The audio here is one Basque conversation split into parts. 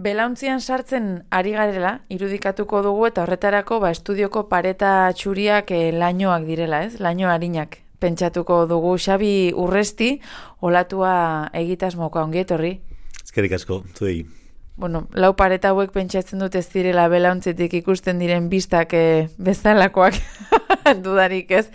Belauntzian sartzen ari garela, irudikatuko dugu eta horretarako estudioko pareta txuriak lainoak direla, ez? Laino arinak. Pentsatuko dugu Xabi Urresti, olatua egitasmokoa ongi etorri. Eskerrik asko, zuei. Bueno, lau pareta hauek pentsatzen dut ez direla belauntzetik ikusten diren bistak bezalakoak dudarik ez.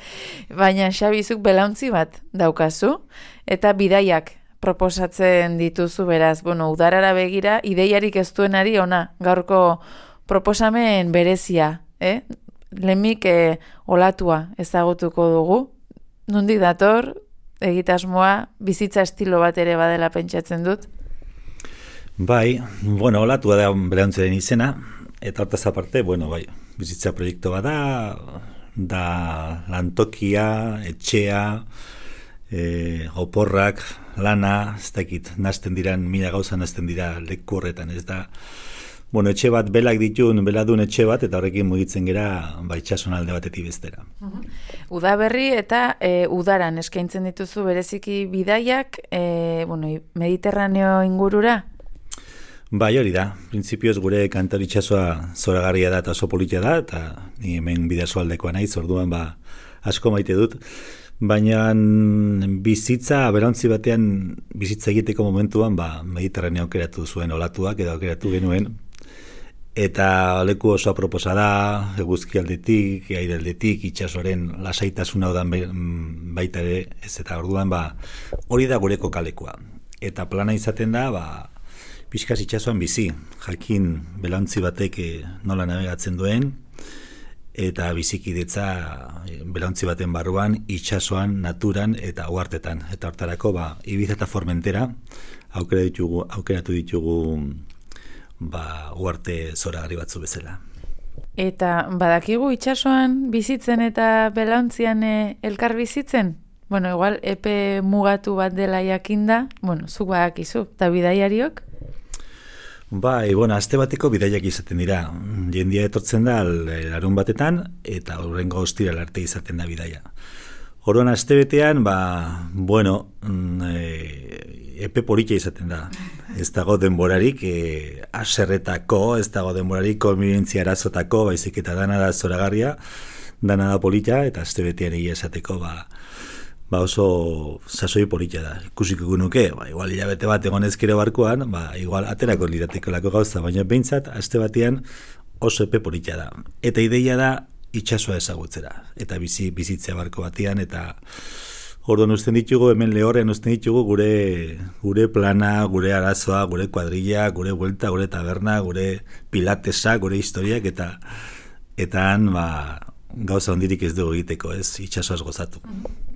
Baina Xabizuk belauntzi bat daukazu eta bidaiak proposatzen dituzu beraz. Bueno, udarara begira, ideiarik ez duenari ona, gaurko proposamen berezia. Lehenik olatua ezagutuko dugu. Nondik dator, egitasmoa, bizitza estilo bat ere badela pentsatzen dut? Bai, olatua da belauntzaren izena, eta hortaz aparte, bizitza proiektu bat da lantokia, etxea, oporrak, lana, ez dakit, nazten diran, mila gauza nazten dira leku horretan, ez da. Etxe bat belak ditun, beladun etxe bat, eta horrekin mugitzen gera itxason alde batetik bestera. Udaberri eta udaran eskaintzen dituzu bereziki bidaiak, Mediterraneo ingurura? Bai, hori da. Printzipioz gure kantauri itxasoa zoragarria da eta oso politia da, eta ni hemen bidasoaldekoa naiz, orduan asko maite dut. Baina bizitza, belauntzi batean bizitza egiteko momentuan Mediterraneo aukeratu zuen olatuak edo aukeratu genuen. Eta leku oso aproposa da, eguzki aldetik, aire aldetik, itxasoren lasaitasuna odan baita ere, ez eta orduan hori da gure kokalekua. Eta plana izaten da, pixkaz itxasoan bizi, jakin belauntzi batek nola navegatzen duen, eta bizikidetza belauntzi baten barruan, itxasoan, naturan eta uhartetan. Eta hortarako, Ibiza eta Formentera aukeratu ditugu uarte zoragarri batzu bezala. Eta badakigu itxasoan bizitzen eta belauntzian elkar bizitzen? Igual epe mugatu bat dela jakinda, zuk badakizu, eta bidaiariok? Aste bateko bidaiak izaten dira. Jendia etortzen da larun batetan, eta horrengo ostiral arte izaten da bidaia. Orduan aste betean, epe politia izaten da. Ez dago denborarik aserretako, ez dago denborarik konbibentzia arazotako, baizik eta dana da zoragarria, dana da politia, eta aste betean egia esateko oso sasoi politia da. Ikusiko nuke, igual hilabete bat egon ezkero barkuan, igual aterako lirateko lako gauza, baina behintzat, aste batean oso epe politia da. Eta ideia da itxasoa ezagutzera, eta bizitzea barko batean, eta orduan usten ditugu, hemen lehorrean usten ditugu gure plana, gure arazoa, gure kuadrilla, gure buelta, gure taberna, gure pilatesa, gure historiak, eta han gauza ondirik ez dugu egiteko, ez itxasoaz gozatu.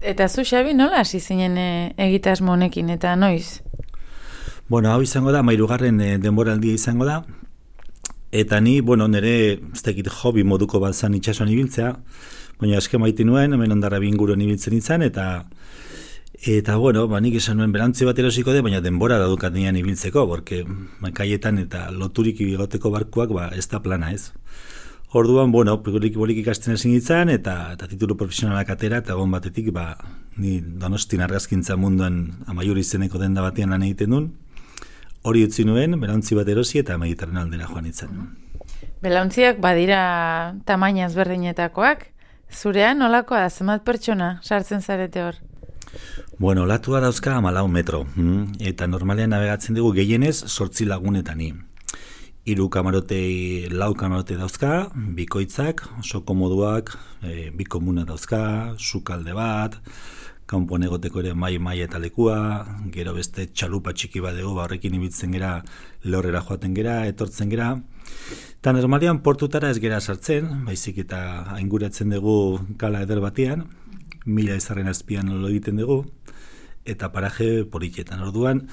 Eta zu, Xabi, nola hasi zinen egitasmo honekin, eta noiz? Hau izango da, 3. denboraldia izango da, eta ni, nire, ez dakit hobi moduko bat zan itxasoan ibiltzea, baina aske maite nuen, hemen Hondarribia inguruan ibiltzen izan, eta nik esan nuen belauntzi bat erosiko de, baina denbora daukat nian ibiltzeko, porque kaietan eta loturik ibigoteko barkuak ez da plana ez. Orduan, bolik ikasten ezin ditzan, eta titulu profesionalak atera, eta egon batetik, ni Donostin argazkintza munduan Amaiur izeneko denda batean lan egiten duen, hori utzi nuen, belauntzi bat erosi, eta Mediterraneo aldera joan itzen. Belauntziak badira tamaina ezberdinetakoak, zurean nolakoa da, zenbat pertsona sartzen zarete hor? Olatua dauzka 14 metro, eta normalean navegatzen dugu gehienez 8 lagunetani. 4 kamarote, 4 kamarote dauzka, bikoitzak, oso komoduak, 2 komuna dauzka, sukalde bat, kanpoan egoteko ere mai eta lekua, gero beste txalupa txiki bat dugu, horrekin ibiltzen gera, lehorrera joaten gera, etortzen gera. Eta normalean portutara ez gera sartzen, baizik eta ainguratzen dugu kala eder batean, 1000 izarren azpian lo egiten dugu, eta paraje politxetan. Orduan,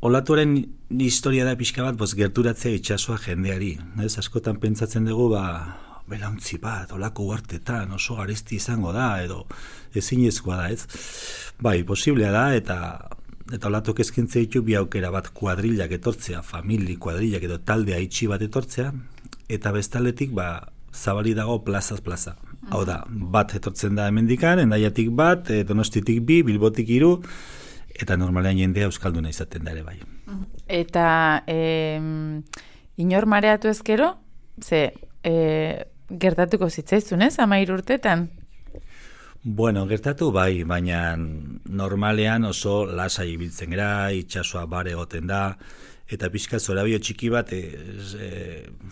olatuaren historia da pixka bat, gerturatzea itxasoa jendeari. Askotan pentsatzen dugu, belauntzi bat, olako uhartetan, oso garesti izango da, edo ezinezkoa da, ez? Posiblea da, eta olatok eskintzea ditu bi aukera bat kuadrillak etortzea, famili kuadrillak edo taldea itxi bat etortzea, eta bestaletik, zabali dago plazaz plaza. Hau da, bat etortzen da hemendikan, Hendaiatik bat, Donostitik 2, Bilbotik 3, eta normalean jendea euskalduna izaten da ere bai. Eta Inor mareatu ezkero, gertatuko zitzaizun, ez, 13 urtetan? Bueno, gertatu bai, baina normalean oso lasai ibiltzen gara, itsasoa bare egoten da, eta pixka zorabio txiki bat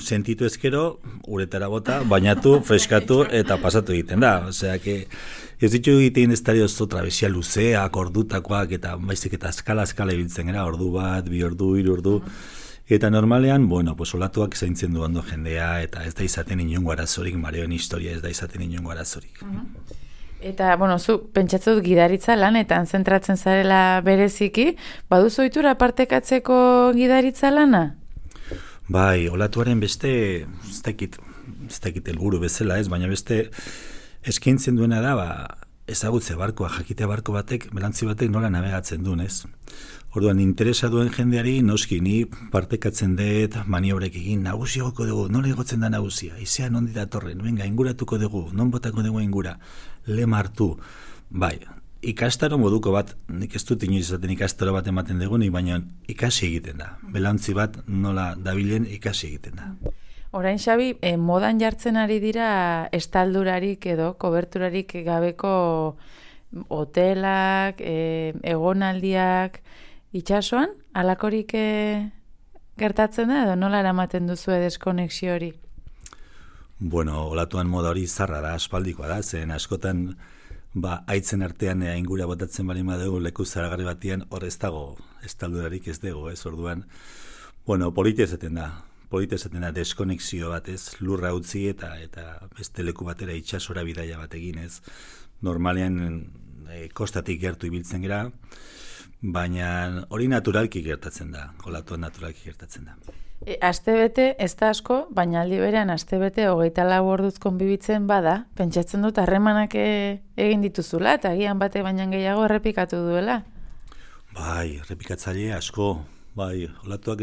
sentitu ezkero, uretara bota, bainatu, freskatu eta pasatu egiten da. Osea, ez ditu egiten ez dara oso trabesia luzeak, ordutakoak, eta baizik eta eskala ibiltzen gara, ordu bat, 2 ordu, 3 ordu. Eta normalean, bueno, olatuak zaintzen du ondo jendea, eta ez da izaten inongo arazorik, mareoen historia ez da izaten inongo arazorik. Eta, bueno, zu pentsatzen dut gidaritza lanetan zentratzen zarela bereziki, baduzu ohitura partekatzeko gidaritza lana? Bai, olatuaren beste, ez dakit helburu bezala ez, baina beste eskaintzen duena da, ezagutze barkoa, jakitea barko batek, belantzi batek nola navegatzen duen, ez? Orduan, interesa duen jendeari, noski, ni partekatzen dut, maniobrek egin, nagusi egoko dugu, nola egotzen da nagusia, izean ondi datorren, venga, inguratuko dugu, non botako dugu ingura, lema hartu, bai, ikastaro moduko bat, nik ez dut inoiz izaten ikastaro bat ematen dugunik, baina ikasi egiten da, belantzi bat nola dabilen ikasi egiten da. Orain, Xabi, modan jartzen ari dira estaldurarik edo koberturarik gabeko hotelak, egonaldiak, itxasoan, alakorik gertatzen da edo nola eramaten duzu deskonexio hori? Bueno, olatuan moda hori zarra da, aspaldikoa da, zen askotan haitzen artean ingura botatzen bali badugu leku zaragarri batian, hor ez dago estaldurarik ez dugu, ez orduan. Bueno, polita esaten da deskonexio bat ez, lurra utzi eta beste leku batera itxasora bidaia bat egin ez. Normalean kostatik gertu ibiltzen gera, baina hori naturalki gertatzen da, olatuan naturalki gertatzen da. Astebete ez da asko, baina aldi berean astebete 24 orduz konbibitzen bada, pentsatzen dut harremanak egin dituzula, eta agian bate baina gehiago errepikatu duela. Bai, errepikatzaile asko, bai, olatuak,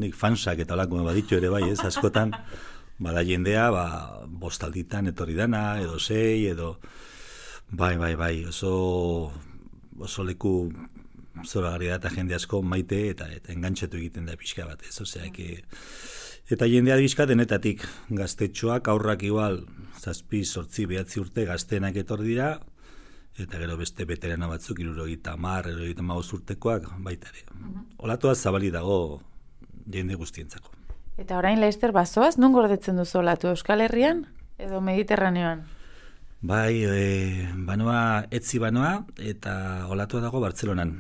nik fansak eta olako baditu ere bai, ez, askotan, bada jendea, 5 alditan etorri dana, edo 6, edo, bai, oso leku zoragarri da eta jende asko maite eta engantxetu egiten da pixka bat, ez, osea, eta jendea bizka denetatik, gaztetxoak, aurrak igual, 7, 8, 9 urte gaztenak etorri dira, eta gero beste veterano batzuk 70, 75 urtekoak baita ere. Olatua zabali dago jende guztientzako. Eta orain Laster bazoaz, non gordetzen duzu olatu, Euskal Herrian edo Mediterraneoan? Bai, etzi banoa eta olatua dago Bartzelonan.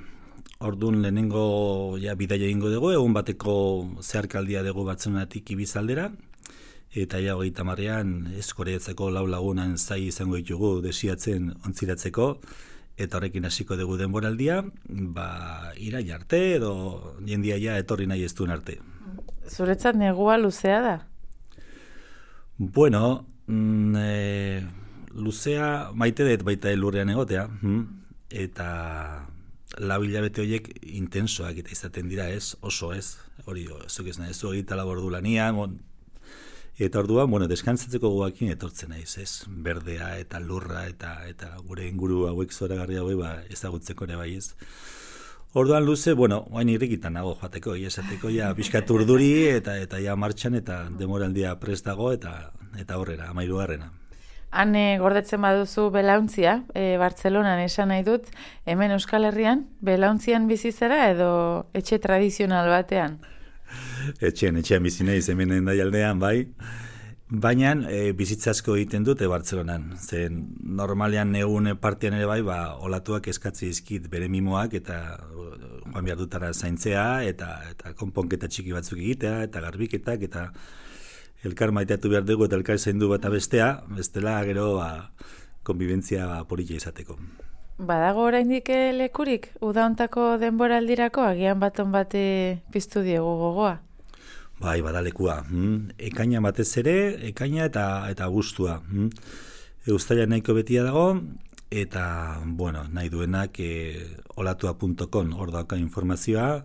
Orduan lehenengo bidaia egingo dugu, egun bateko zeharkaldia dugu Bartzelonatik Ibizaldera, eta 30ean Eskoreatzeko 4 lagunan zai izango ditugu desiatzen ontziratzeko, eta horrekin hasiko dugu denboraldia, iraila arte edo jendia etorri nahi ez duen arte. Zuretzat negua luzea da? Bueno, luzea maite dut baita elurrean egotea, eta 4 hilabete horiek intensoak eta izaten dira ez, oso ez, hori zuk ez nahi, ez 24 ordu lanian, eta orduan, deskantzatzeko guakin etortzen naiz, ez, berdea eta lurra eta gure inguru hauek zoragarri hauek ezagutzeko ere bai ez. Orduan luze, oain irrikitan nago joateko, esateko pixkat urduri eta martxan eta demoraldia prest dago eta horrera, 13. Han gordetzen baduzu belauntzia, Bartzelonan esan nahi dut, hemen Euskal Herrian, belauntzian bizizara edo etxe tradizional batean? Etxean bizi naiz hemen Hendaialdean, bai. Baina bizitzazko egiten dute Bartzelonan. Zen normalean egun partian ere bai, olatuak eskatzi izkit bere mimoak eta joan behar dutara zaintzea eta konponketa txiki batzuk egitea eta garbiketak eta elkar maiteatu behar dugu eta elkar zaindu bat bestea, bestela gero konbibentzia polita izateko. Badago oraindik lekurik, uda hontako denboraldirako, agian baton bate piztu diegu gogoa? Bai, badalekua. Ekaina batez ere, ekaina eta abuztua. Uztaila nahiko betia dago, eta, nahi duenak olatua.com, hor dauka informazioa,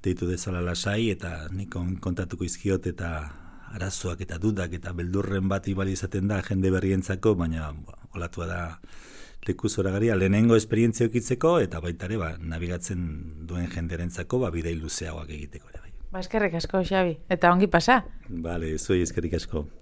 deitu dezala lasai, eta nik kontatuko izkiot eta arazoak eta dudak eta beldurren bat ibali izaten da jende berrientzako, baina olatua da leku zoragarria lehenengo esperientzia okitzeko eta baita ere nabigatzen duen jenderentzako bidei luzeagoak egiteko ere bai. Ba, eskerrik asko, Xabi. Eta ongi pasa. Bale, zuei eskerrik asko.